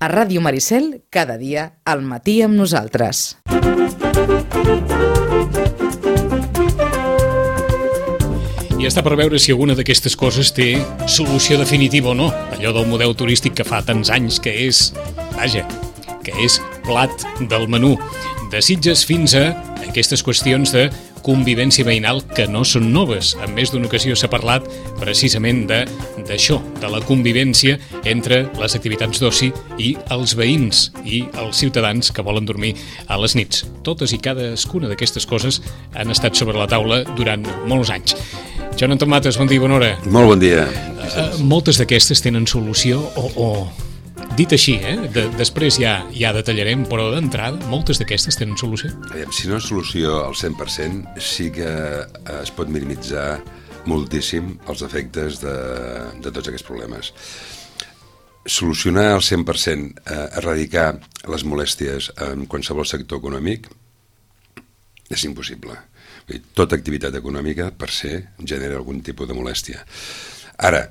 A Ràdio Maricel, cada dia, al matí amb nosaltres. I està per veure si alguna d'aquestes coses té solució definitiva o no. Allò del model turístic que fa tants anys que és, que és plat del menú. De Sitges fins a aquestes qüestions de convivència veïnal que no són noves. En més d'una ocasió s'ha parlat precisament d'això, de la convivència entre les activitats d'oci i els veïns i els ciutadans que volen dormir a les nits. Totes i cadascuna d'aquestes coses han estat sobre la taula durant molts anys. Joan Anton Mates, bon dia, bona hora. Molt bon dia. Moltes d'aquestes tenen solució o dit així, després ja detallarem, però d'entrada, moltes d'aquestes tenen solució? Si no és solució al 100%, sí que es pot minimitzar moltíssim els efectes de tots aquests problemes. Solucionar al 100%, erradicar les molèsties en qualsevol sector econòmic, és impossible. Tota activitat econòmica, per se, genera algun tipus de molèstia. Ara,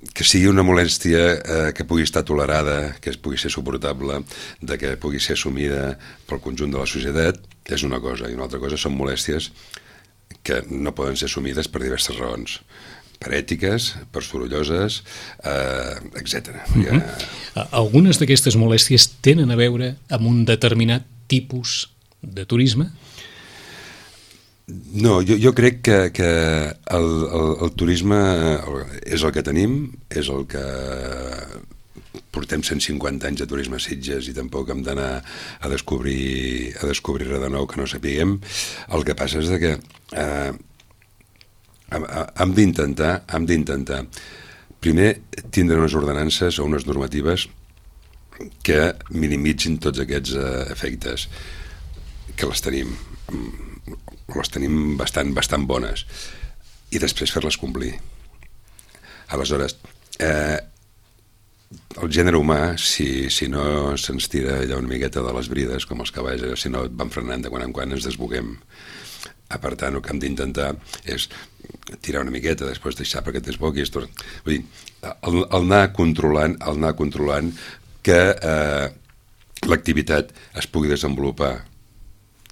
que sigui una molèstia que pugui estar tolerada, que pugui ser suportable, que pugui ser assumida pel conjunt de la societat, és una cosa. I una altra cosa són molèsties que no poden ser assumides per diverses raons. Per ètiques, per sorolloses, etc. Algunes d'aquestes molèsties tenen a veure amb un determinat tipus de turisme? No, jo crec que el turisme és el que tenim, és el que portem 150 anys de turisme a Sitges i tampoc hem d'anar a descobrir res de nou que no sapiguem. El que passa és que hem d'intentar primer tindre unes ordenances o unes normatives que minimitzin tots aquests efectes, que les tenim bastant bones, i després fer-les complir. Aleshores, el gènere humà, si no se'ns tira allà una miqueta de les brides, com els cavalls, si no et van frenant de quan en quan ens desboguem. Per tant, el que hem d'intentar és tirar una miqueta, després deixar perquè et desboguis. Vull dir, el anar controlant que l'activitat es pugui desenvolupar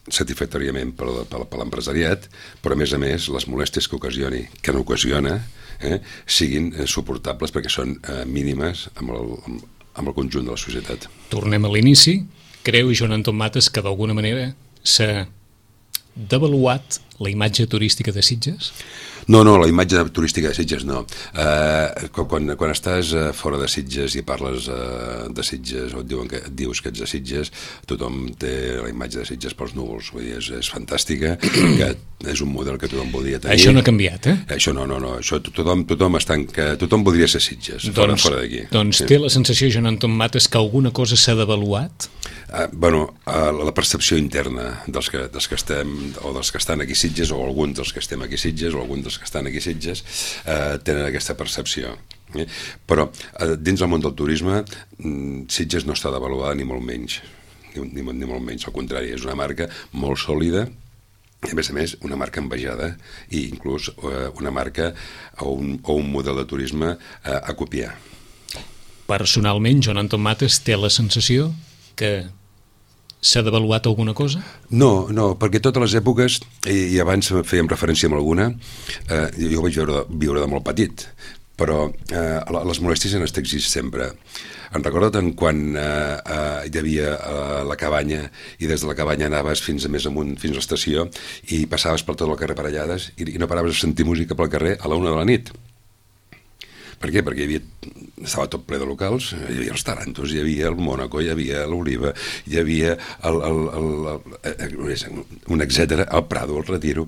satisfactòriament per l'empresariat, però a més les molèsties que n'ocasiona siguin suportables perquè són mínimes amb el conjunt de la societat. Tornem a l'inici. Creu, Joan Anton Mates, que d'alguna manera s'ha devaluat la imatge turística de Sitges? No, la imatge turística de Sitges no. Quan estàs fora de Sitges i parles de Sitges o et dius que ets de Sitges, tothom té la imatge de Sitges pels núvols. Vull dir, és fantàstica, que és un model que tothom voldria tenir. Això no ha canviat, Això no. Això tothom voldria ser Sitges, fora d'aquí. Doncs té la sensació, Joan Anton Mates, que alguna cosa s'ha devaluat? La percepció interna dels que estem, o dels que estan aquí a Sitges, o alguns dels que estem aquí a Sitges, o alguns dels que estan aquí a Sitges, tenen aquesta percepció. Però dins del món del turisme, Sitges no està devaluada ni molt menys. Ni molt menys, al contrari, és una marca molt sòlida, i a més, una marca envejada, i inclús una marca o un model de turisme a copiar. Personalment, Joan Anton Mates té la sensació que s'ha devaluat alguna cosa? No, perquè totes les èpoques, i abans fèiem referència a alguna, jo vaig viure de molt petit, però les molèsties han estat sempre. Em recordo tant quan hi havia la cabanya, i des de la cabanya anaves fins a més amunt, fins a l'estació, i passaves per tot el carrer parellades, i no paraves a sentir música pel carrer a la 1 de la nit. Per què? Perquè estava tot ple de locals, hi havia els Tarantos, hi havia el Mònaco, hi havia l'Oliva, hi havia un etcètera, el Prado, el Retiro,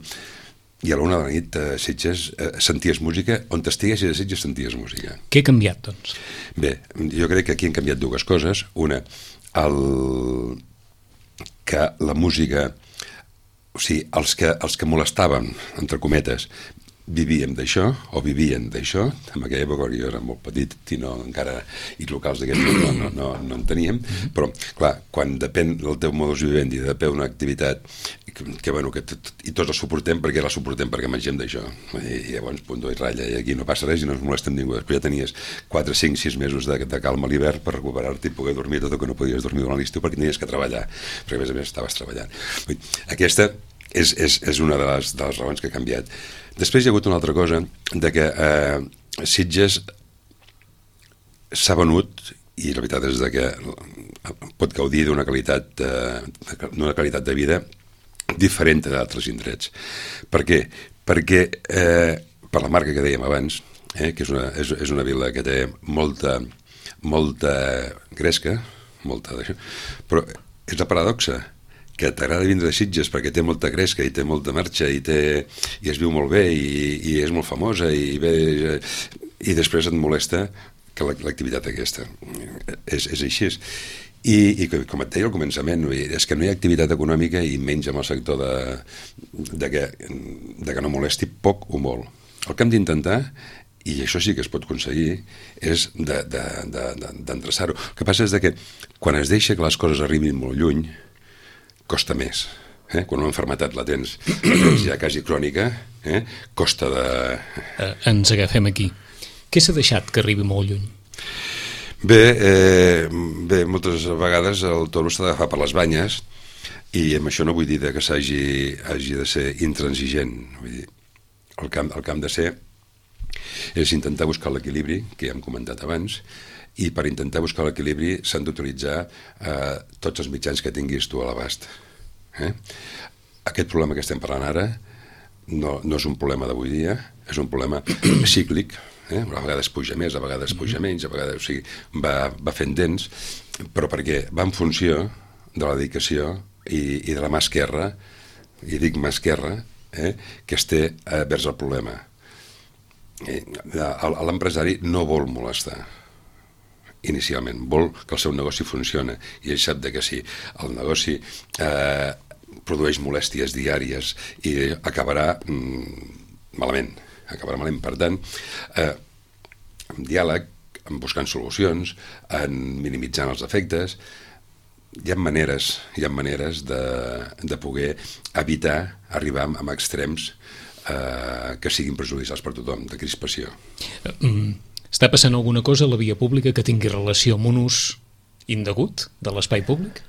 i a la 1 de la nit a Sitges senties música, on t'estiguessis a Sitges senties música. Què ha canviat, doncs? Bé, jo crec que aquí han canviat dues coses. Una, que la música, o sigui, els que molestaven, entre cometes, vivíem d'això, o vivien d'això, en aquella època jo era molt petit i i locals d'aquests no en teníem, però clar, quan depèn del teu modus vivendi, depèn d'una activitat i tots la suportem perquè mengem d'això, i llavors punt i ratlla, i aquí no passa res i no ens molesta ningú. Després ja tenies 4, 5, 6 mesos de calma a l'hivern per recuperar-te i poder dormir tot el que no podies dormir durant l'estiu perquè tenies que treballar, perquè a més estaves treballant. Aquesta és una de les raons que ha canviat. Després hi ha hagut una altra cosa, de que Sitges s'ha venut, i la veritat és que pot gaudir d'una qualitat de vida diferent d'altres indrets. Per què? Perquè per la marca que dèiem abans, que és una vila que té molta gresca, però és la paradoxa, que t'agrada vindre a Sitges perquè té molta gresca i té molta marxa i es viu molt bé i és molt famosa i després et molesta que l'activitat aquesta és així. I com et deia al començament, és que no hi ha activitat econòmica i menys amb el sector de que no molesti poc o molt. El que hem d'intentar, i això sí que es pot aconseguir, és d'endreçar-ho. El que passa és que quan es deixa que les coses arribin molt lluny costa més. Quan una malaltia la tens ja quasi crònica, costa de... Ens agafem aquí. Què s'ha deixat que arribi molt lluny? Bé, moltes vegades el toro s'ha d'agafar per les banyes i amb això no vull dir que hagi de ser intransigent. Vull dir, el que hem de ser és intentar buscar l'equilibri, que ja hem comentat abans, i per intentar buscar l'equilibri s'han d'utilitzar tots els mitjans que tinguis tu a l'abast. Aquest problema que estem parlant ara no és un problema d'avui dia, és un problema cíclic, a vegades puja més, a vegades puja menys, a vegades, o sigui, va fent dents, però perquè va en funció de la dedicació i de la mà esquerra, i dic mà esquerra, que es té vers el problema. L'empresari no vol molestar inicialment, vol que el seu negoci funcioni i ell sap que si el negoci produeix molèsties diàries i acabarà malament. Per tant, amb diàleg, buscant solucions, en minimitzant els efectes, hi ha maneres de poder evitar arribar a extrems que siguin perjudicials per tothom, de crispació. Està passant alguna cosa a la via pública que tingui relació amb un ús indegut de l'espai públic?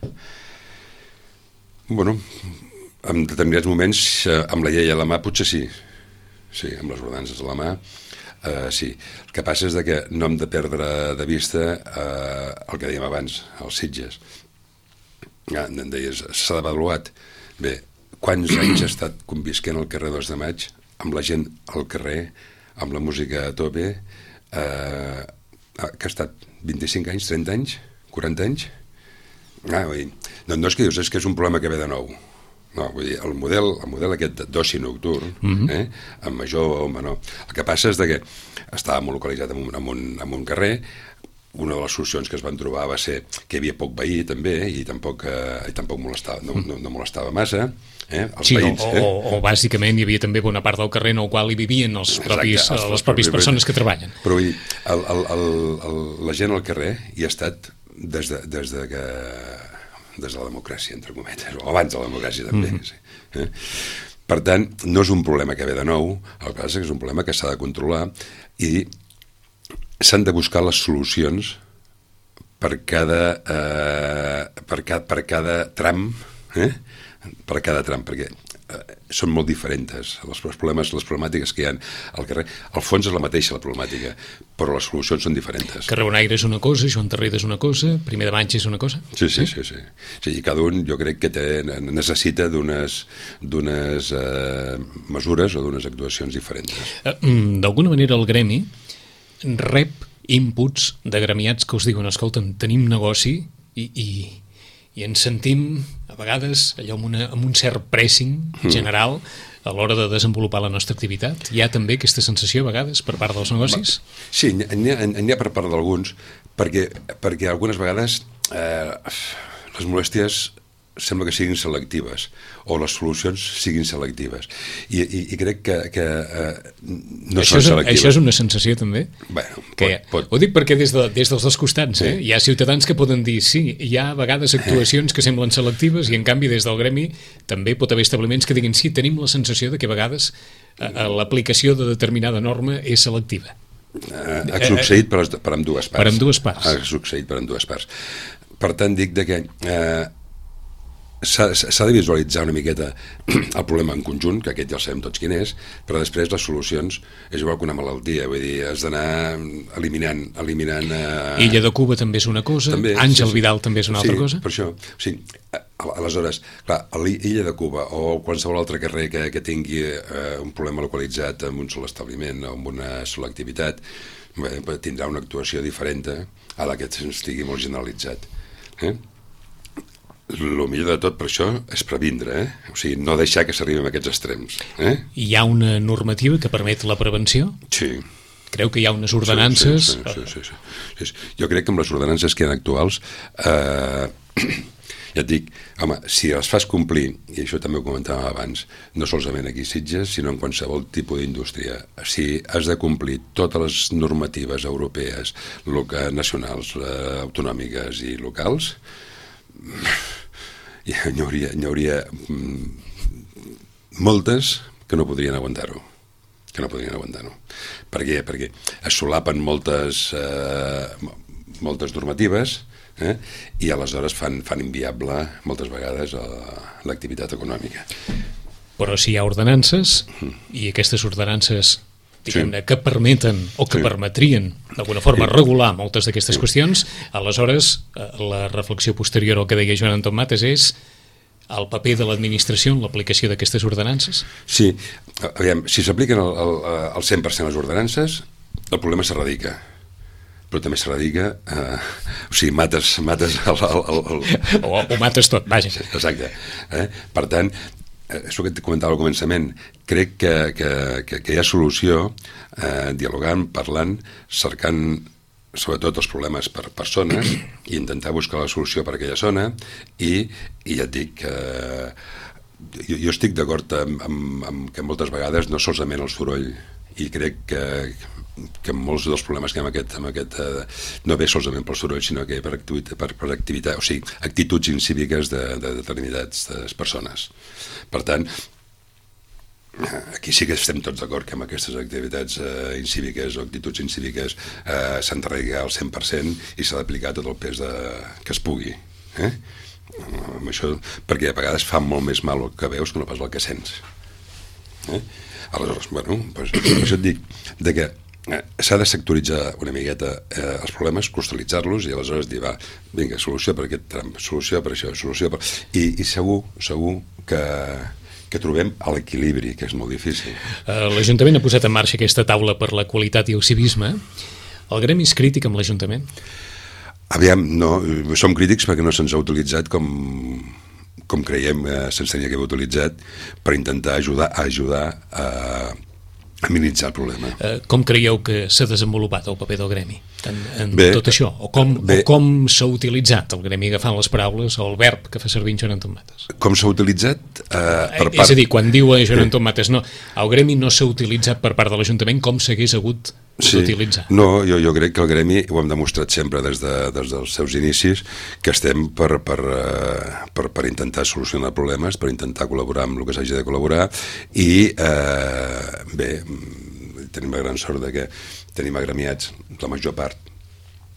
Bueno, en determinats moments, amb la llei a la mà, potser sí. Sí, amb les ordenances a la mà, sí. El que passa és que no hem de perdre de vista el que dèiem abans, els Sitges. Em deies, s'ha d'avaluat. Bé, quants anys ha estat convisquent al carrer 2 de Maig, amb la gent al carrer, amb la música a tope, que ha estat 25 anys, 30 anys, 40 anys? No és que dius, és que és un problema que ve de nou. No, vull dir, el model aquest d'oci nocturn, amb major o menor, el que passa és que estava molt localitzat en un carrer. Una de les solucions que es van trobar va ser que hi havia poc veí també i tampoc molestava, no molestava massa, els veïns. O bàsicament hi havia també bona part del carrer en el qual hi vivien les pròpies persones que treballen. Però vull dir, la gent al carrer hi ha estat des de la democràcia, entre cometes, o abans de la democràcia també. Sí. Per tant, no és un problema que ve de nou, el que passa és que és un problema que s'ha de controlar i s'han de buscar les solucions per cada tram, perquè són molt diferents les problemàtiques que hi ha al carrer. Al fons és la mateixa la problemàtica, però les solucions són diferents. Carrer Bonaire és una cosa, Joan Tarrida és una cosa, Primer de Maig és una cosa? Sí. I cada un jo crec que necessita d'unes mesures o d'unes actuacions diferents. D'alguna manera el gremi rep inputs de gremiats que us diuen, escolta'm, tenim negoci i ens sentim a vegades allò amb un cert pressing general a l'hora de desenvolupar la nostra activitat. Hi ha també aquesta sensació a vegades per part dels negocis? Sí, n'hi ha per part d'alguns, perquè algunes vegades les molèsties sembla que siguin selectives, o les solucions siguin selectives. I crec que no són selectives. Això és una sensació, també? Bueno, pot. Ho dic perquè des dels dos costats, sí. Hi ha ciutadans que poden dir sí, hi ha a vegades actuacions que semblen selectives i en canvi des del gremi també pot haver establiments que diguin sí, tenim la sensació de que a vegades l'aplicació de determinada norma és selectiva. Ha succeït per ambdues parts. Per ambdues parts. Ha succeït per ambdues parts. Per tant, dic que s'ha de visualitzar una miqueta el problema en conjunt, que aquest ja el sabem tots quin és, però després les solucions és igual que una malaltia, vull dir, has d'anar eliminant... Illa de Cuba també és una cosa, també, Àngel Vidal també és una altra cosa. Sí, per això, sí. Aleshores, clar, a l'Illa de Cuba o qualsevol altre carrer que tingui un problema localitzat en un sol establiment o amb una sola activitat, tindrà una actuació diferent a la que estigui molt generalitzat. El millor de tot per això és previndre, o sigui, no deixar que s'arribi a aquests extrems. Hi ha una normativa que permet la prevenció? Sí. Creu que hi ha unes ordenances? Sí. Jo crec que amb les ordenances que hi ha actuals, ja et dic, home, si les fas complir, i això també ho comentàvem abans, no solament aquí a Sitges, sinó en qualsevol tipus d'indústria, si has de complir totes les normatives europees, nacionals, autonòmiques i locals, n'hi hauria moltes que no podrien aguantar-ho. Per què? Perquè es solapen moltes normatives i aleshores fan inviable moltes vegades l'activitat econòmica. Però si hi ha ordenances i aquestes ordenances diguem-ne, que permeten o que permetrien d'alguna forma regular moltes d'aquestes qüestions, aleshores la reflexió posterior al que deia Joan Anton Mates és el paper de l'administració en l'aplicació d'aquestes ordenances? Sí, aviam, si s'apliquen al 100% les ordenances, el problema s'erradica. Però també s'erradica, o sigui, mates o mates tot, vaja. Exacte. Per tant, això que et comentava al començament, crec que hi ha solució dialogant, parlant, cercant sobretot els problemes per zones i intentar buscar la solució per aquella zona i ja et dic que jo estic d'acord amb que moltes vegades no solament el soroll i crec que molts dels problemes que hi ha amb aquest no ve solament pel soroll sinó que per activitat, o sigui, actituds incíviques de determinades persones. Per tant, aquí sí que estem tots d'acord que amb aquestes activitats incíviques o actituds incíviques s'han d'arreglar al 100% i s'ha d'aplicar tot el pes que es pugui. Amb això, perquè a vegades fa molt més mal el que veus que no pas el que sents. Aleshores, bueno, doncs, això et dic que s'ha de sectoritzar una miqueta els problemes, cristal·litzar-los i aleshores dir, va, vinga, solució per aquest tram, solució per això, solució per... I segur que trobem l'equilibri, que és molt difícil. L'Ajuntament ha posat en marxa aquesta taula per la qualitat i el civisme. El gremi és crític amb l'Ajuntament? Aviam, no, som crítics perquè no se'ns ha utilitzat com creiem se'ns tenia que haver utilitzat per intentar ajudar a minimitzar el problema. Com creieu que s'ha desenvolupat el paper del gremi en tot això? O com s'ha utilitzat el gremi agafant les paraules o el verb que fa servir Joan Anton Mates? Com s'ha utilitzat? És a dir, quan diu Joan Anton Mates no, el gremi no s'ha utilitzat per part de l'Ajuntament com s'hagués hagut d'utilitzar. No, jo crec que el gremi ho hem demostrat sempre des dels seus inicis que estem per intentar solucionar problemes, per intentar col·laborar amb el que s'hagi de col·laborar i bé, tenim la gran sort que tenim agremiats la major part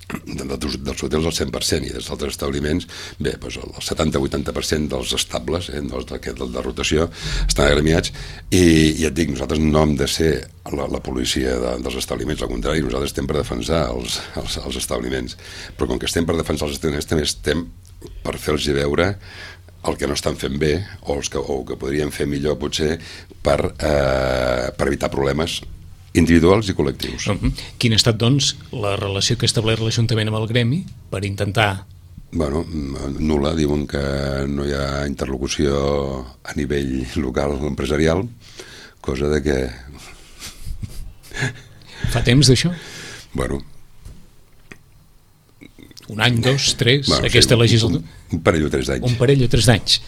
dels hotels al 100% i dels altres establiments, bé, doncs el 70-80% dels estables de rotació estan agremiats i ja et dic, nosaltres no hem de ser la policia dels establiments, al contrari, nosaltres estem per defensar els establiments, però com que estem per defensar els establiments també estem per fer-los veure el que no estan fent bé o que podrien fer millor potser per evitar problemes individuals i col·lectius. Quina ha estat, doncs, la relació que ha establert l'Ajuntament amb el gremi per intentar... Bueno, nul·la, diuen que no hi ha interlocució a nivell local o empresarial, cosa de que... Fa temps d'això? Bueno, Un any, 2, 3, aquesta legislatura? Un parell o 3 d'anys. Un parell o 3 d'anys.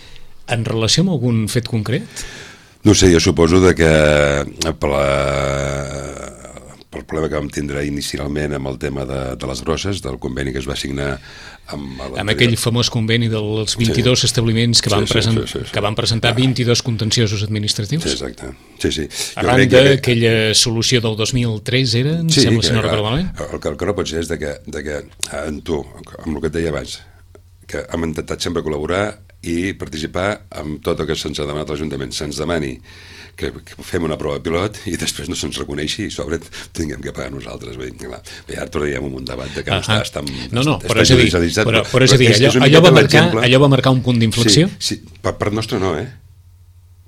En relació amb algun fet concret? No sé, jo suposo que pel problema que vam tindre inicialment amb el tema de les grosses, del conveni que es va signar amb aquell famós conveni dels 22 establiments que van presentar 22 contenciosos administratius. Sí, exacte. Sí. Arran d'aquella solució del 2003 era, em sembla, si no recordo malament. El que no pot ser és que en tu, amb el que et deia abans, que hem intentat sempre col·laborar i participar amb tot el que se'ns ha demanat a l'Ajuntament. Se'ns demani que fem una prova pilot i després no se'ns reconeixi i sobre tinguem que pagar nosaltres. Bé, ara tornaríem en un debat de que està però és a dir, allò va marcar un punt d'inflexió? Sí, per nostre no,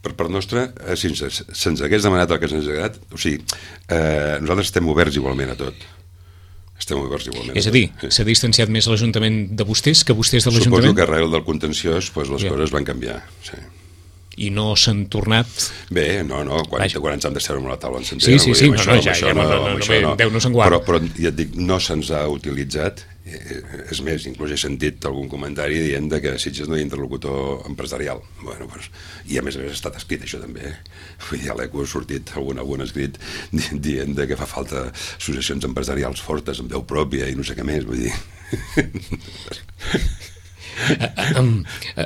per part nostra, si se'ns hagués demanat el que se'ns ha agradat, o sigui, nosaltres estem oberts igualment a tot. És a dir, s'ha distanciat més l'Ajuntament de vostès que vostès de l'Ajuntament? Suposo que arrel del contenciós les coses van canviar, sí. I no s'han tornat? Bé, no, quan ens hem de seure amb la taula ens entenem. Sí, Déu no se'n guarda. Però ja et dic, no se'ns ha utilitzat, és més, inclús he sentit algun comentari dient que a Sitges no hi ha interlocutor empresarial. I a més ha estat escrit això també. Vull dir, a l'ECO ha sortit algun escrit dient que fa falta associacions empresarials fortes, amb veu pròpia i no sé què més, vull dir...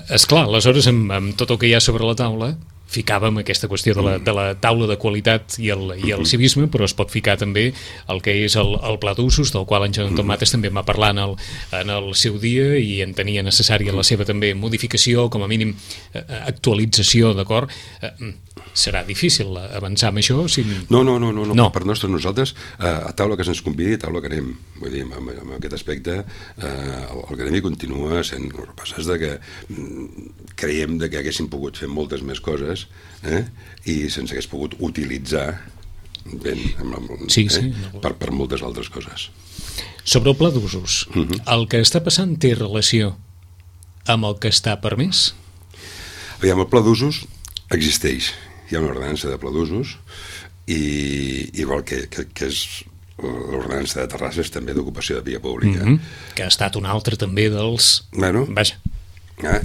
Esclar, aleshores amb tot el que hi ha sobre la taula ficàvem aquesta qüestió de la taula de qualitat i el civisme, però es pot ficar també el que és el pla d'usos, del qual en Joan Tomates també va parlar en el seu dia i en tenia necessària la seva també modificació, com a mínim actualització, d'acord? Serà difícil avançar amb això? No. Per nosaltres, a taula que se'ns convidi, a taula que anem. Vull dir, amb aquest aspecte, el gremi continua sent... El que passa és que creiem que haguéssim pogut fer moltes més coses i se'ns hagués pogut utilitzar per moltes altres coses. Sobre el pla d'usos, el que està passant té relació amb el que està permès? Aviam, el pla d'usos existeix. Hi ha una ordenança de pla d'usos i igual que és l'ordenança de terrasses també d'ocupació de via pública. Que ha estat un altre també dels... Vaja.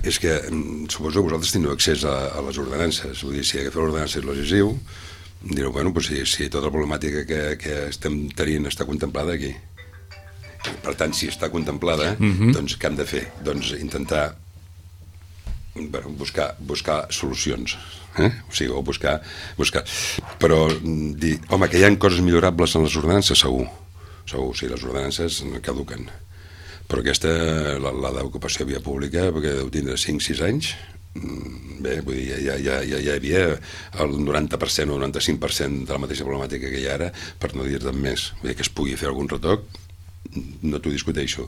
És que suposo que vosaltres teniu accés a les ordenances. Vull dir, si agafeu l'ordenança legislatiu, direu, si tota la problemàtica que estem tenint està contemplada aquí. Per tant, si està contemplada, doncs què hem de fer? Doncs intentar buscar solucions. O sigui, o buscar... Però dir, home, que hi ha coses millorables en les ordenances, segur. O sigui, les ordenances caduquen. Però aquesta, la d'ocupació de via pública, perquè deu tindre 5-6 anys, bé, vull dir, ja hi havia el 90% o el 95% de la mateixa problemàtica que hi ha ara, per no dir-ne més. Vull dir, que es pugui fer algun retoc, no t'ho discuteixo.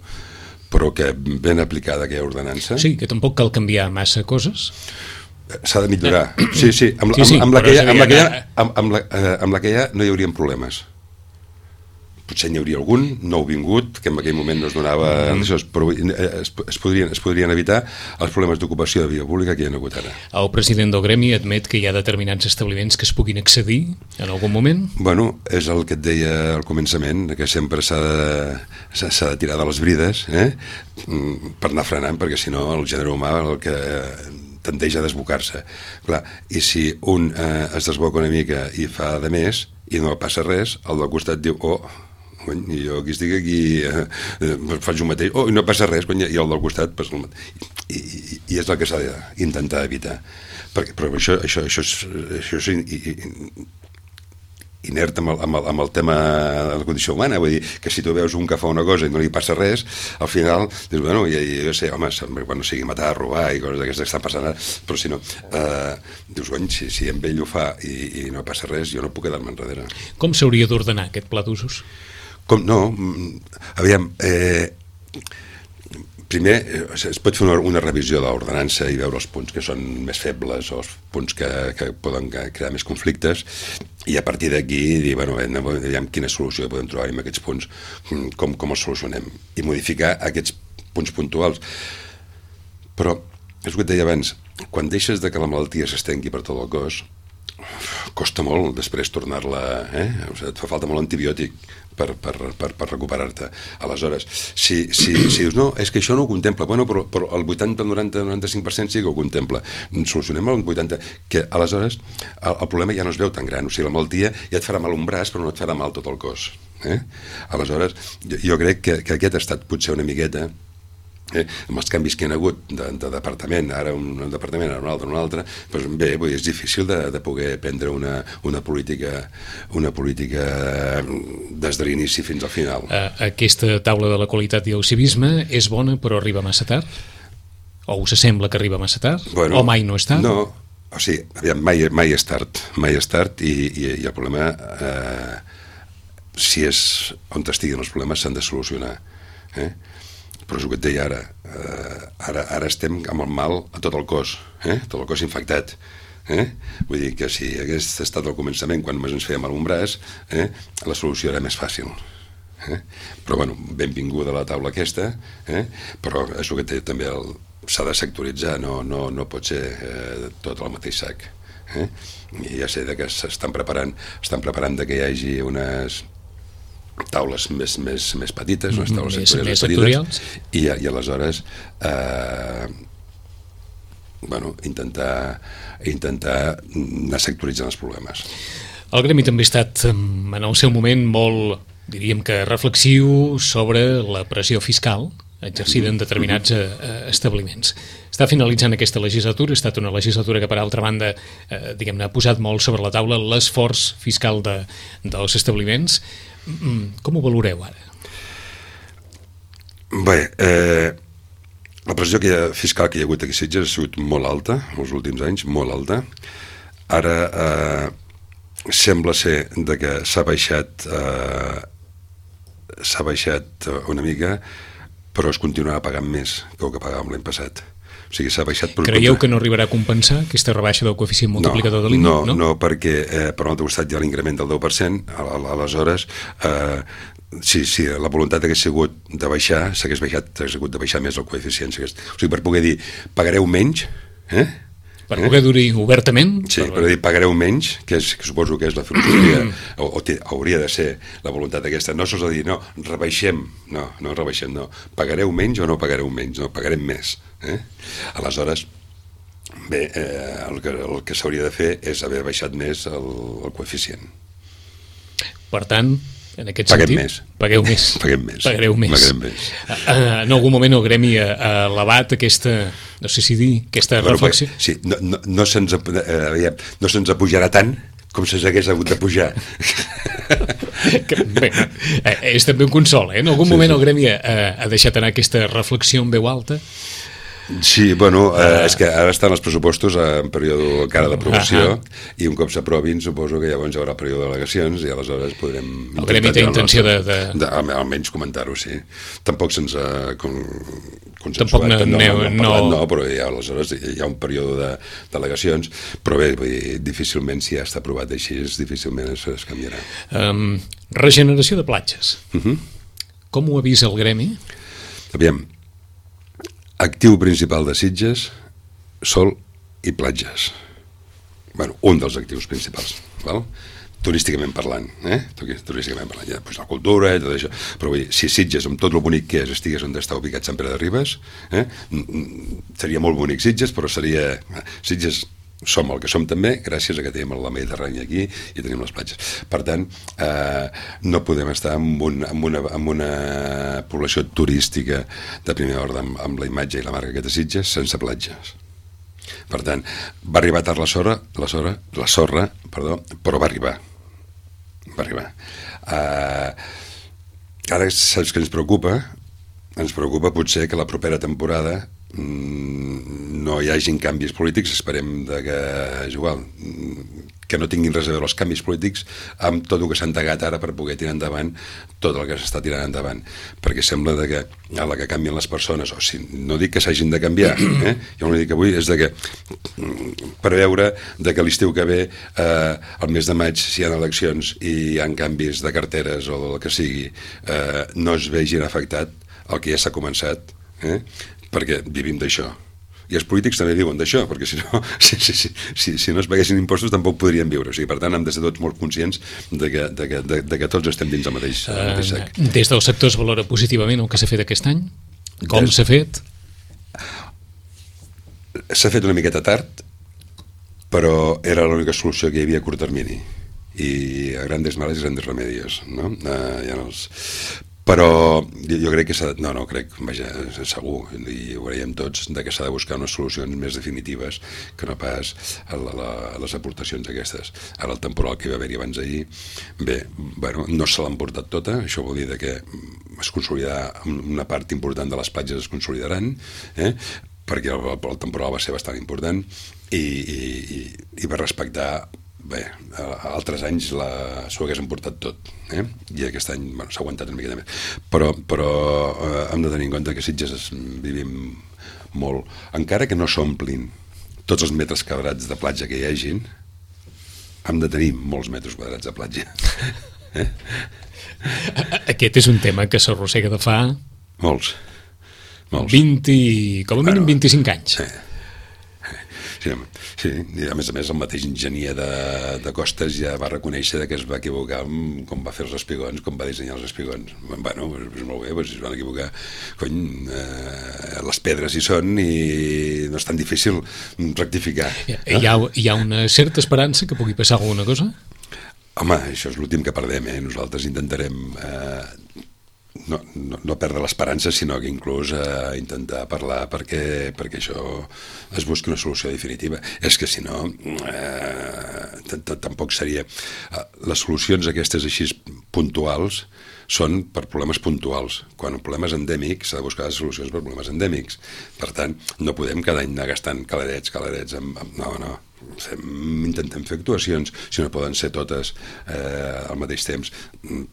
Però que ben aplicada aquella ordenança... Sí, que tampoc cal canviar massa coses. S'ha de millorar. Sí, amb la que hi ha no hi haurien problemes. Potser n'hi hauria algun nouvingut que en aquell moment no es donava però es podrien evitar els problemes d'ocupació de via pública que hi ha hagut ara. El president del gremi admet que hi ha determinats establiments que es puguin accedir en algun moment? Bueno, és el que et deia al començament, que sempre s'ha de tirar de les brides per anar frenant, perquè si no el gènere humà el que tendeix a desbocar-se. Clar, i si un es desboca una mica i fa de més i no passa res, el del costat diu, i jo aquí estic faig un mateix, i no passa res, i el del costat i és el que s'ha d'intentar evitar, però això és inert amb el tema de la condició humana, vull dir que si tu veus un que fa una cosa i no li passa res, al final dius, jo sé, home, quan no sigui matar, robar i coses d'aquestes que estan passant ara, però si no dius, si amb ell ho fa i no passa res, jo no puc quedar-me enrere. Com s'hauria d'ordenar aquest pla d'usos? Aviam, primer es pot fer una revisió de l'ordenança i veure els punts que són més febles o els punts que poden crear més conflictes i a partir d'aquí dir, aviam quina solució podem trobar amb aquests punts, com els solucionem i modificar aquests punts puntuals. Però, és el que et deia abans, quan deixes que la malaltia s'estengui per tot el cos, costa molt després tornar-la, o sigui, et fa falta molt antibiòtic per recuperar-te. Aleshores, si dius, no, és que això no ho contempla, bueno, però el 80, el 90, el 95% sí que ho contempla, solucionem el 80%, que aleshores el problema ja no es veu tan gran, o sigui, la malaltia ja et farà mal un braç, però no et farà mal tot el cos. Aleshores, jo crec que aquest ha estat potser una miqueta, amb els canvis que hi ha hagut de departament, ara un departament, ara un altre, doncs bé, és difícil de poder prendre una política des de l'inici fins al final. Aquesta taula de la qualitat i el civisme és bona però arriba massa tard? O us sembla que arriba massa tard? O mai no és tard? No, o sigui, aviam, mai és tard i el problema, si és on estiguen els problemes, s'han de solucionar. Però és el que et deia ara estem amb el mal a tot el cos, tot el cos infectat. Vull dir que si hagués estat al començament quan ens feia mal un braç, la solució era més fàcil. Però bueno, benvinguda a la taula aquesta, però és el que té també, s'ha de sectoritzar, no pot ser tot al mateix sac. I ja sé que estan preparant que hi hagi unes taules més petites, unes taules sectorials petites, i aleshores intentar anar sectoritzant els problemes. El gremi també ha estat en el seu moment molt, diríem que reflexiu sobre la pressió fiscal exercida en determinats establiments. Està finalitzant aquesta legislatura, ha estat una legislatura que per altra banda diguem-ne ha posat molt sobre la taula l'esforç fiscal dels establiments. Com ho valoreu ara? Bé, la pressió fiscal que hi ha hagut aquí a Sitges ha sigut molt alta, els últims anys, molt alta. Ara sembla ser que s'ha baixat una mica, però es continuarà pagant més que el que pagàvem l'any passat. O sigui, s'ha baixat... Creieu que no arribarà a compensar aquesta rebaixa del coeficient multiplicador de l'IMI? No, perquè per un altre costat hi ha l'increment del 10%, aleshores, si la voluntat hagués sigut de baixar, s'hagués hagut de baixar més el coeficient. O sigui, per poder dir, pagareu menys, per poder dir obertament? Sí, per dir, pagareu menys, que suposo que és la filosofia, o hauria de ser la voluntat aquesta. No sols a dir, no, rebaixem, no rebaixem, no. Pagareu menys o no pagareu menys? No, pagarem més. Aleshores, bé, el que s'hauria de fer és haver baixat més el coeficient. Per tant, en aquest sentit, pagueu més. Pagareu més. En algun moment el gremi ha elevat aquesta, no sé si dir, aquesta reflexió. Sí, no se'ns apujarà tant com se s'hagués hagut de pujar. Bé, és també un consol, en algun moment el gremi ha deixat anar aquesta reflexió en veu alta. Sí, bueno, és que ara estan els pressupostos en període encara d'aprovació i un cop s'aprovin suposo que llavors hi haurà període d'al·legacions i aleshores podrem... El gremi té intenció de... Almenys comentar-ho, sí. Tampoc se'ns ha consensuat. Tampoc no, però aleshores hi ha un període d'al·legacions, però bé, difícilment si ja està aprovat així, difícilment es canviarà. Regeneració de platges. Com ho ha vist el gremi? Aviam, actiu principal de Sitges, sol i platges. Bueno, un dels actius principals, val? Turísticament parlant, turísticament parlant, ja, doncs la cultura i tot això, però vull dir, si Sitges, amb tot el bonic que és, estigués on està ubicat Sant Pere de Ribes, seria molt bonic Sitges, però seria... Sitges som el que som també, gràcies a que tenim la Mediterrània aquí i tenim les platges. Per tant, no podem estar amb una població turística de primer ordre amb la imatge i la marca que té Sitges sense platges. Per tant, va arribar tard la sorra, però va arribar. Ara saps que ens preocupa? Ens preocupa potser que la propera temporada no hi hagin canvis polítics, esperem que és igual, que no tinguin res a veure els canvis polítics amb tot el que s'ha endegat ara per poder tirar endavant tot el que s'està tirant endavant, perquè sembla que a la que canvien les persones, o sigui, no dic que s'hagin de canviar, jo no dic avui, és que preveure que l'estiu que ve, el mes de maig, si hi ha eleccions i hi ha canvis de carteres o del que sigui, no es vegin afectat el que ja s'ha començat, perquè vivim d'això. I els polítics també viuen d'això, perquè si no, si no es paguessin impostos tampoc podrien viure. O sigui, per tant, hem de ser tots molt conscients de que tots estem dins el mateix sac. Des del sector es valora positivament el que s'ha fet aquest any? Com s'ha fet? S'ha fet una miqueta tard, però era l'única solució que hi havia a curt termini. I a grandes males i grandes remedios, no? Però jo crec que segur, i ho veiem tots, que s'ha de buscar unes solucions més definitives que no pas a les aportacions aquestes. Ara el temporal que hi va haver-hi abans d'ahir, no se l'han portat tota, això vol dir que es consolidarà una part important de les platges, es consolidaran, perquè el temporal va ser bastant important i va respectar. Bé, altres anys s'ho hagués emportat tot, i aquest any s'ha aguantat una miqueta més, però hem de tenir en compte que Sitges vivim molt, encara que no s'omplin tots els metres quadrats de platja que hi hagin, hem de tenir molts metres quadrats de platja. Aquest és un tema que s'arrossega de fa molts 20, com a mínim 25 anys. Sí, i a més, el mateix enginyer de Costes ja va reconèixer que es va equivocar com va fer els espigons, com va dissenyar els espigons. Bueno, és molt bé, es van equivocar. Les pedres hi són i no és tan difícil rectificar. Hi ha una certa esperança que pugui passar alguna cosa? Home, això és l'últim que perdem, Nosaltres intentarem no perdre l'esperança, sinó que inclús intentar parlar perquè això es busqui una solució definitiva. És que si no tampoc seria... Les solucions aquestes així puntuals són per problemes puntuals. Quan el problema és endèmic s'ha de buscar solucions per problemes endèmics. Per tant, no podem cada any anar gastant caladets. No. Intentem fer actuacions, si no poden ser totes al mateix temps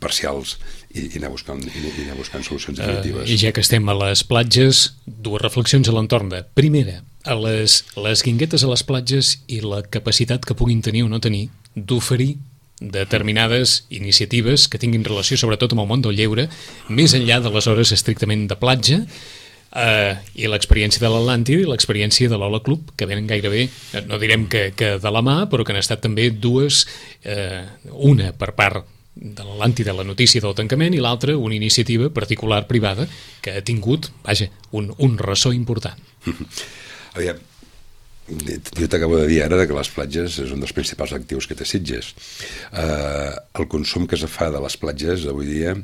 parcials i anar buscant solucions definitives. I ja que estem a les platges, dues reflexions a l'entorn de, primera, a les guinguetes a les platges i la capacitat que puguin tenir o no tenir d'oferir determinades iniciatives que tinguin relació sobretot amb el món del lleure, més enllà de les hores estrictament de platja, i l'experiència de l'Atlàntida i l'experiència de l'Ola Club, que venen gairebé, no direm que de la mà, però que han estat també dues, una per part de l'Atlàntida, la notícia del tancament, i l'altra una iniciativa particular privada que ha tingut, un ressò important. Aviam, jo t'acabo de dir ara que les platges és un dels principals actius que té Sitges. El consum que es fa de les platges avui dia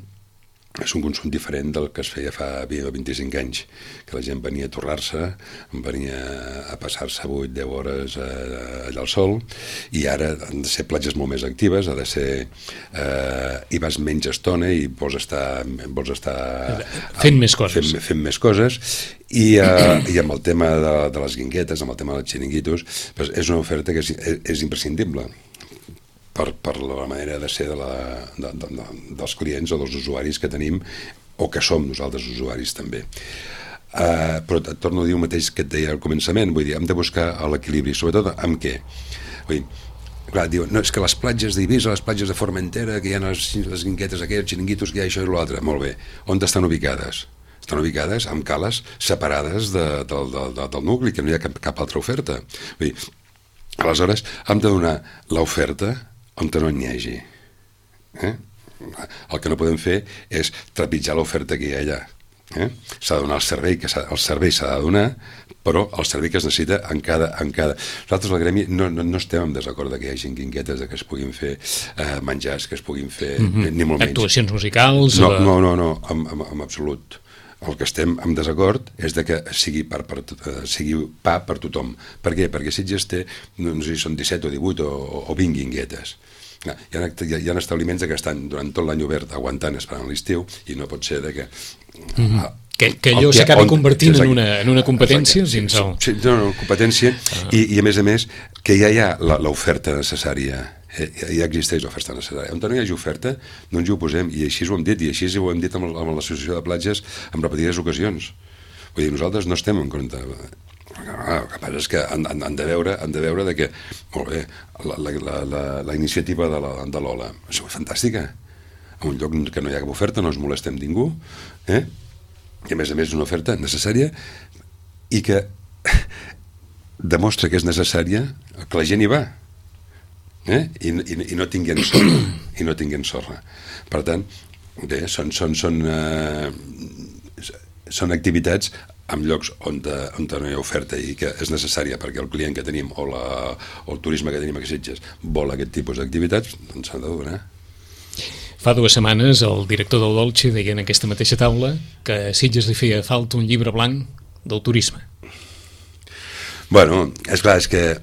és un consum diferent del que es feia fa 20 o 25 anys, que la gent venia a torrar-se, venia a passar-se 8-10 hores allà al sol, i ara han de ser platges molt més actives, ha de ser... hi vas menys estona i vols estar fent més coses. Fent més coses, i amb el tema de les guinguetes, amb el tema dels xiringuitos, és una oferta que és imprescindible per la manera de ser dels clients o dels usuaris que tenim o que som nosaltres usuaris també. Però et torno a dir el mateix que et deia al començament, vull dir, hem de buscar l'equilibri, sobretot amb què? Vull dir, clar, diuen, no, és que les platges d'Eivissa, les platges de Formentera, que hi ha les guinguetes aquelles, els xiringuitos, que hi ha això i l'altre, molt bé. On estan ubicades? Estan ubicades amb cales separades del nucli, que no hi ha cap altra oferta. Vull dir, aleshores, hem de donar l'oferta on no n'hi hagi. El que no podem fer és trepitjar l'oferta que hi ha allà. S'ha de donar el servei, el servei s'ha de donar, però el servei que es necessita en cada... Nosaltres, al gremi, no estem en desacord que hi hagi guinguetes, que es puguin fer menjars, que es puguin fer... ni molt menys. Actuacions musicals... No, en absolut. El que estem en desacord és de que sigui pa per tothom. Per què? Perquè Sitges té, no sé si són 17 o 18 o 20 guinguetes. Hi ha establiments que estan durant tot l'any obert aguantant, esperant l'estiu, i no pot ser de que... Que allò s'acabi convertint en una competència dins el... Sí, no, competència, i a més, que ja hi ha l'oferta necessària. Ja existeix l'oferta necessària. On no hi hagi oferta, no ens hi oposem, i així ho hem dit, i així ho hem dit amb l'associació de platges en repetides ocasions. Vull dir, nosaltres no estem en compte. El que passa és que han de veure de que, molt bé, la iniciativa de l'Ola és fantàstica. En un lloc que no hi ha cap oferta, no ens molestem ningú, i a més és una oferta necessària i que demostra que és necessària que la gent hi va, i no tinguin sorra. Per tant, bé, són activitats en llocs on no hi ha oferta i que és necessària perquè el client que tenim o el turisme que tenim a Sitges vol aquest tipus d'activitats, doncs s'han de donar. Fa 2 setmanes el director del Dolce deia en aquesta mateixa taula que a Sitges li feia falta un llibre blanc del turisme. Bueno, és clar, és que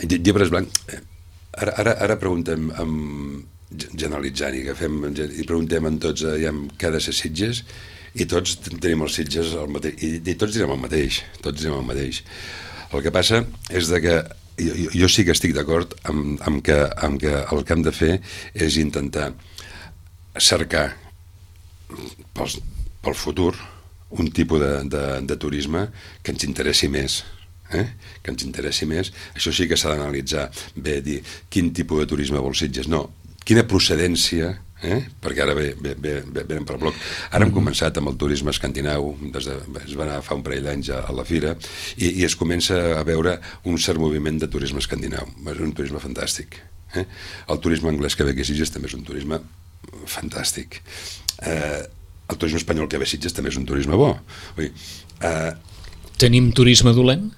llibres blancs... Ara preguntem, generalitzant, i preguntem en tots què ha de ser Sitges, i tots tenim els Sitges el mateix, i tots direm el mateix. El que passa és que jo sí que estic d'acord amb que el que hem de fer és intentar cercar pel futur un tipus de turisme que ens interessi més. Que ens interessi més. Això sí que s'ha d'analitzar bé, dir quin tipus de turisme vol Sitges, no, quina procedència, perquè ara venen per bloc. Ara hem començat amb el turisme escandinau, es va anar fa un parell d'anys a la fira, i es comença a veure un cert moviment de turisme escandinau. És un turisme fantàstic. El turisme anglès que ve aquí a Sitges també és un turisme fantàstic. El turisme espanyol que ve a Sitges també és un turisme bo. Tenim turisme dolent?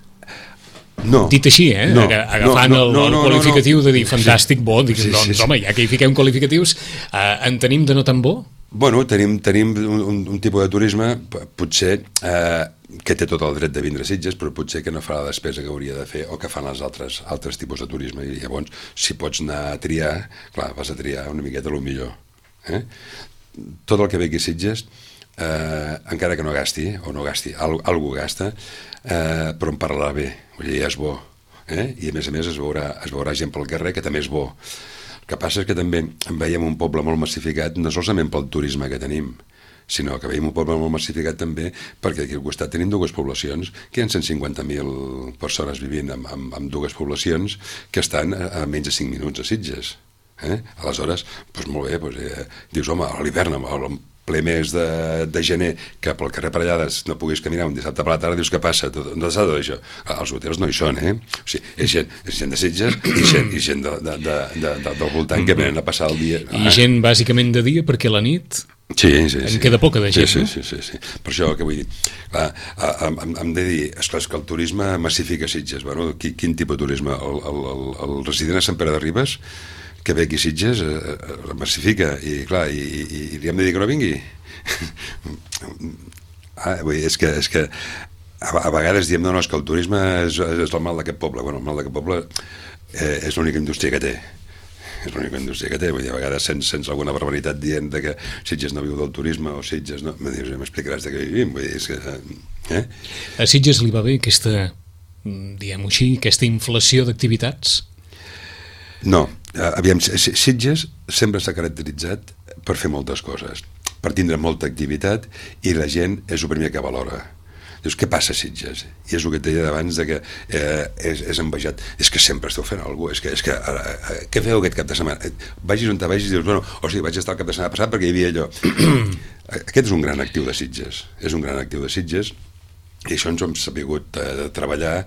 No. Dit així, agafant el qualificatiu de dir fantàstic, bo, doncs home, ja que hi fiquem qualificatius, en tenim de no tan bo? Bueno, tenim un tipus de turisme, potser que té tot el dret de vindre a Sitges, però potser que no fa la despesa que hauria de fer o que fan els altres tipus de turisme. I llavors, si pots anar a triar, clar, vas a triar una miqueta el millor. Tot el que ve aquí a Sitges, encara que no gasti, algú gasta, però en parlarà bé, vull dir, és bo, i a més es veurà gent pel carrer que també és bo. El que passa és que també veiem un poble molt massificat, no solament pel turisme que tenim, sinó que veiem un poble molt massificat també perquè aquí al costat tenim 2 poblacions, que hi ha 150.000 persones vivint en 2 poblacions que estan a menys de 5 minuts a Sitges. Aleshores, doncs molt bé, dius, home, a l'hivern, ple mes de gener, que pel carrer Parellades no puguis caminar un dissabte per la tarda, dius, què passa? No s'ha de això. Els hotels no hi són, O sigui, és gent de Sitges i gent del voltant que venen a passar el dia. I gent bàsicament de dia, perquè la nit sí. Queda poca de gent, no? Sí. Per això que vull dir, clar, hem de dir, esclar, que el turisme massifica Sitges. Bueno, quin tipus de turisme? El resident a Sant Pere de Ribes, que ve aquí a Sitges, massifica, i clar, i li hem de dir que no vingui. Vull dir, és que a vegades diem, no, és que el turisme és el mal d'aquest poble. Bueno, el mal d'aquest poble és l'única indústria que té. Vull dir, a vegades sents alguna barbaritat dient que Sitges no viu del turisme, o Sitges no... M'explicaràs de què vivim, vull dir, és que... A Sitges li va bé aquesta, diguem-ho així, aquesta inflació d'activitats? No, aviam, Sitges sempre s'ha caracteritzat per fer moltes coses, per tindre molta activitat, i la gent és el primer que valora. Dius, què passa a Sitges? I és el que et deia abans que és envejat. És que sempre esteu fent alguna cosa. És que què feu aquest cap de setmana? Vagis on te vagis i dius, bueno, o sigui, vaig estar el cap de setmana passat perquè hi havia allò. Aquest és un gran actiu de Sitges. I això ens ho hem sabut treballar,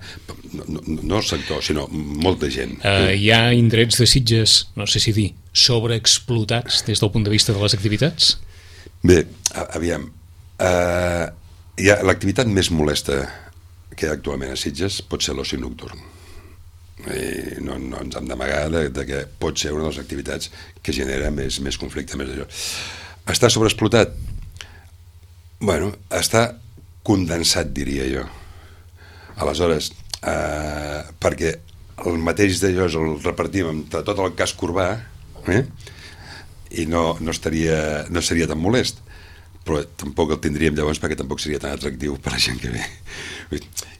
no el sector, sinó molta gent. Hi ha indrets de Sitges, no sé si dir, sobreexplotats des del punt de vista de les activitats? Bé, aviam, l'activitat més molesta que hi ha actualment a Sitges pot ser l'oci nocturn. No ens hem d'amagar que pot ser una de les activitats que genera més conflicte, més d'això. Està sobreexplotat? Bueno, està condensat, diria jo. Aleshores, perquè el mateix d'allò el repartim entre tot el casc urbà, i no seria tan molest, però tampoc el tindríem llavors perquè tampoc seria tan atractiu per a la gent que ve.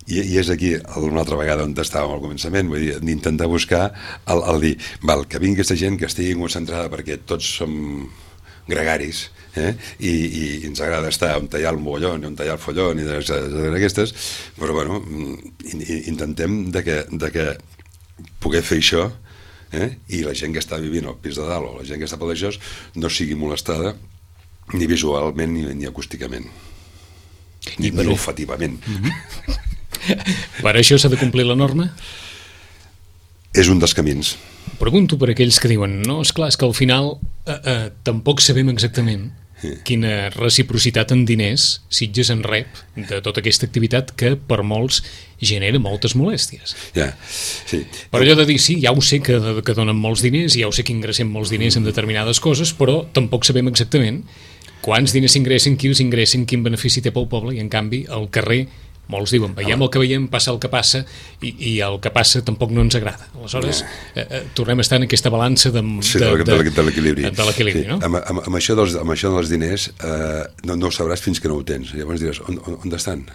I és aquí una altra vegada on estàvem al començament, vull dir, d'intentar buscar el dir, que vingui aquesta gent que estigui concentrada perquè tots som gregaris, i ens agrada estar on hi ha el mogollon, on hi ha el follon i d'aquestes, però bueno, intentem de que poder fer això, i la gent que està vivint al pis de dalt o la gent que està per això no sigui molestada ni visualment ni acústicament ni olfativament. Per això s'ha de complir la norma? És un dels camins. Pregunto per aquells que diuen no, esclar, és que al final tampoc sabem exactament quina reciprocitat en diners Sitges en rep de tota aquesta activitat que per molts genera moltes molèsties. Ja, sí. Per allò de dir, sí, ja ho sé que donen molts diners, ja ho sé que ingressem molts diners en determinades coses, però tampoc sabem exactament quants diners s'ingressen, qui els ingressen, quin benefici té pel poble, i en canvi al carrer molts diuen, veiem el que veiem, passa el que passa, i el que passa tampoc no ens agrada. Aleshores, tornem a estar en aquesta balança de l'equilibri. Sí. No? Amb això dels diners no ho sabràs fins que no ho tens. Llavors diràs, on estan?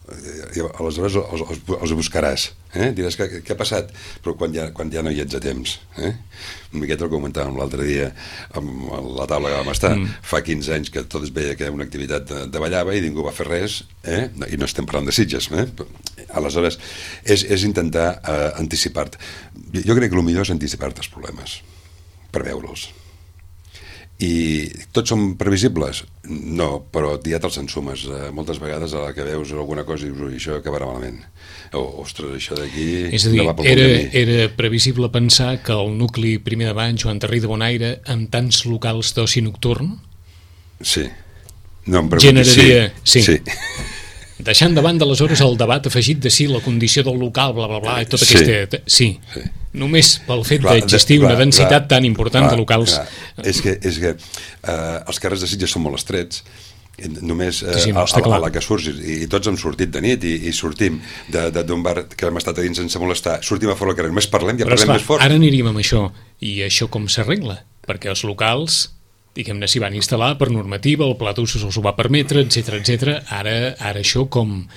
Aleshores els buscaràs, diràs què ha passat, però quan ja no hi ets a temps, una miqueta el que comentàvem l'altre dia amb la taula que vam estar, fa 15 anys que tot es veia que era una activitat de ballava i ningú va fer res, i no estem parlant de Sitges, aleshores és intentar anticipar-te. Jo crec que el millor és anticipar-te els problemes per veure'ls. I tots són previsibles? No, però ja te'ls ensumes. Moltes vegades a la que veus alguna cosa i dius, ui, això acabarà malament. Ostres, això d'aquí... És a dir, era previsible pensar que el nucli primer de Banys, Joan Tarrí de Bonaire, amb tants locals d'oci nocturn... Sí. No em generaria... Sí. Deixant de banda aleshores el debat afegit de si la condició del local, bla, bla, bla, i tot aquesta... Sí. Només pel fet d'existir una densitat tan important de locals... És que els carrers de Sitges són molt estrets, només a la que surts, i tots hem sortit de nit i sortim d'un bar que hem estat a dins sense molestar, sortim a fora del carrer, només parlem, ja parlem més fort. Ara aniríem amb això, i això com s'arregla? Perquè els locals, diguem-ne, s'hi van instal·lar per normativa, el pla d'usos els ho va permetre, etc. Ara això com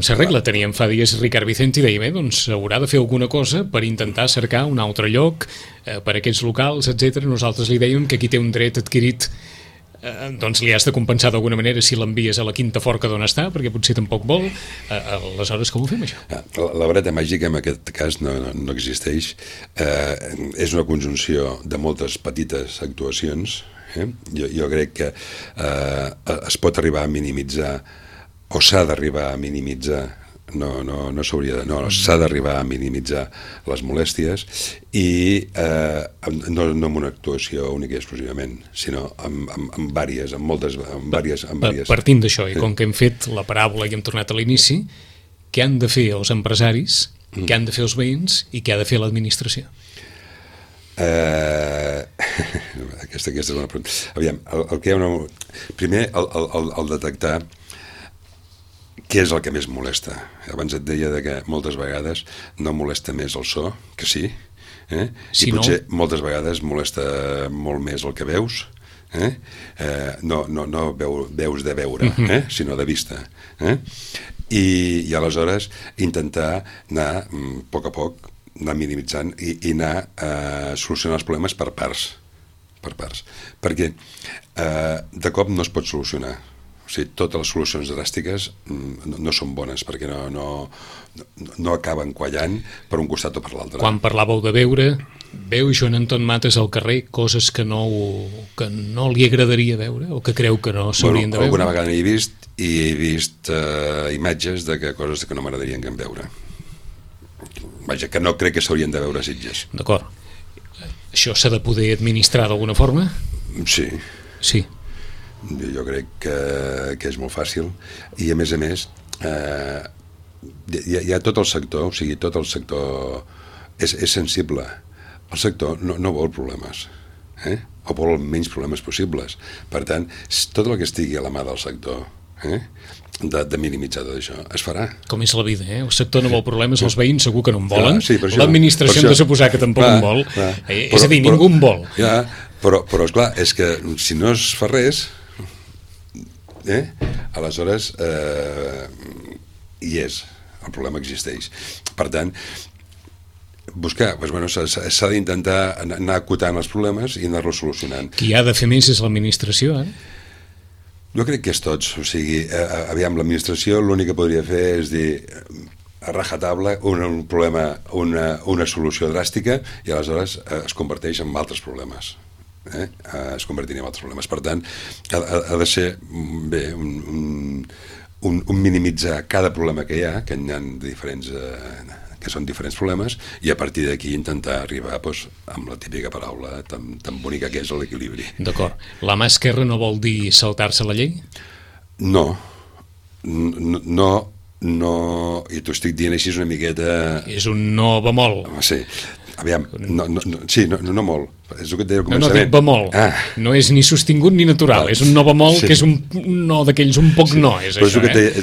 s'arregla? Teníem fa dies Ricard Vicente i deia, doncs haurà de fer alguna cosa per intentar cercar un altre lloc per a aquests locals, etc. Nosaltres li dèiem que qui té un dret adquirit doncs li has de compensar d'alguna manera si l'envies a la quinta forca d'on està, perquè potser tampoc vol. Aleshores, com ho fem, això? La vareta màgica en aquest cas no existeix. És una conjunció de moltes petites actuacions. Jo crec que es pot arribar a minimitzar, o s'ha d'arribar a minimitzar, s'ha d'arribar a minimitzar les molèsties, i no amb una actuació única i exclusivament, sinó amb vàries, amb moltes. Partint d'això, i com que hem fet la paràbola i hem tornat a l'inici, què han de fer els empresaris, què han de fer els veïns i què ha de fer l'administració? Aquesta és una pregunta. Aviam, primer el detectar què és el que més molesta. Abans et deia que moltes vegades no molesta més el so, que sí, i potser moltes vegades molesta molt més el que veus, no veus de veure, sinó de vista. I aleshores intentar anar a poc, anar minimitzant i anar solucionant els problemes per parts, perquè de cop no es pot solucionar. O sigui, totes les solucions dràstiques no són bones, perquè no acaben quallant per un costat o per l'altre. Quan parlàveu de veure, veu Joan Anton Mates al carrer coses que no li agradaria veure, o que creu que no s'haurien de veure? Alguna vegada n'he vist, i he vist imatges de coses que no m'agradarien que em veure. Vaja, que no crec que s'haurien de veure a Sitges. D'acord. Això s'ha de poder administrar d'alguna forma? Sí. Jo crec que és molt fàcil, i a més hi ha tot el sector, o sigui, tot el sector és sensible. El sector no vol problemes, o vol els menys problemes possibles. Per tant, tot el que estigui a la mà del sector, de minimitzar tot això, es farà. Com és la vida, el sector no vol problemes, els veïns segur que no en volen, l'administració hem de suposar que tampoc en vol, és a dir, ningú en vol. Però esclar, és que si no es fa res, aleshores el problema existeix. Per tant, s'ha d'intentar anar acotant els problemes i anar-los solucionant. Qui ha de fer més és l'administració, Jo crec que és tots. O sigui, aviam, l'administració l'únic que podria fer és dir a rajatabla un problema, una solució dràstica, i aleshores es converteix en altres problemes. Es convertirien en altres problemes. Per tant, ha de ser un minimitzar cada problema que hi ha, que n'hi ha diferents... que són diferents problemes, i a partir d'aquí intentar arribar amb la típica paraula tan bonica que és l'equilibri. D'acord. La mà esquerra no vol dir saltar-se la llei? No, i t'ho estic dient així una miqueta... És un no bemol. Sí, aviam, no molt. És el que et deia al començament. No dic bemol. No és ni sostingut ni natural. És un no bemol, que és un no d'aquells un poc no. És això, és el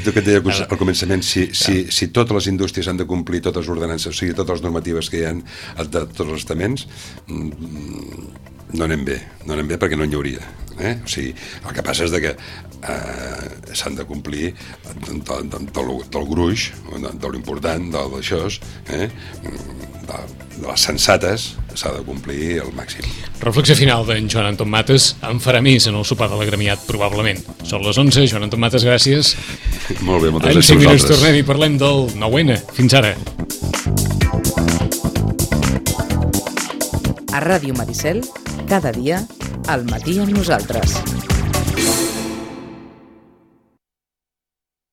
que et deia al començament. Si totes les indústries han de complir totes les ordenances, o sigui, totes les normatives que hi ha de tots els estaments, no anem bé perquè no n'hi hauria. O sigui, el que passa és que s'han de complir del gruix, de l'important, d'això, de les sensates, s'ha de complir al màxim. Reflexió final d'en Joan Anton Mates. En farà més en el sopar de l'Agremiat, probablement. Són les 11, Joan Anton Mates, gràcies. Molt bé, moltes gràcies a vosaltres. En 5 minuts tornem i parlem del 9-N. Fins ara. A Ràdio Maricel, cada dia, al matí amb nosaltres.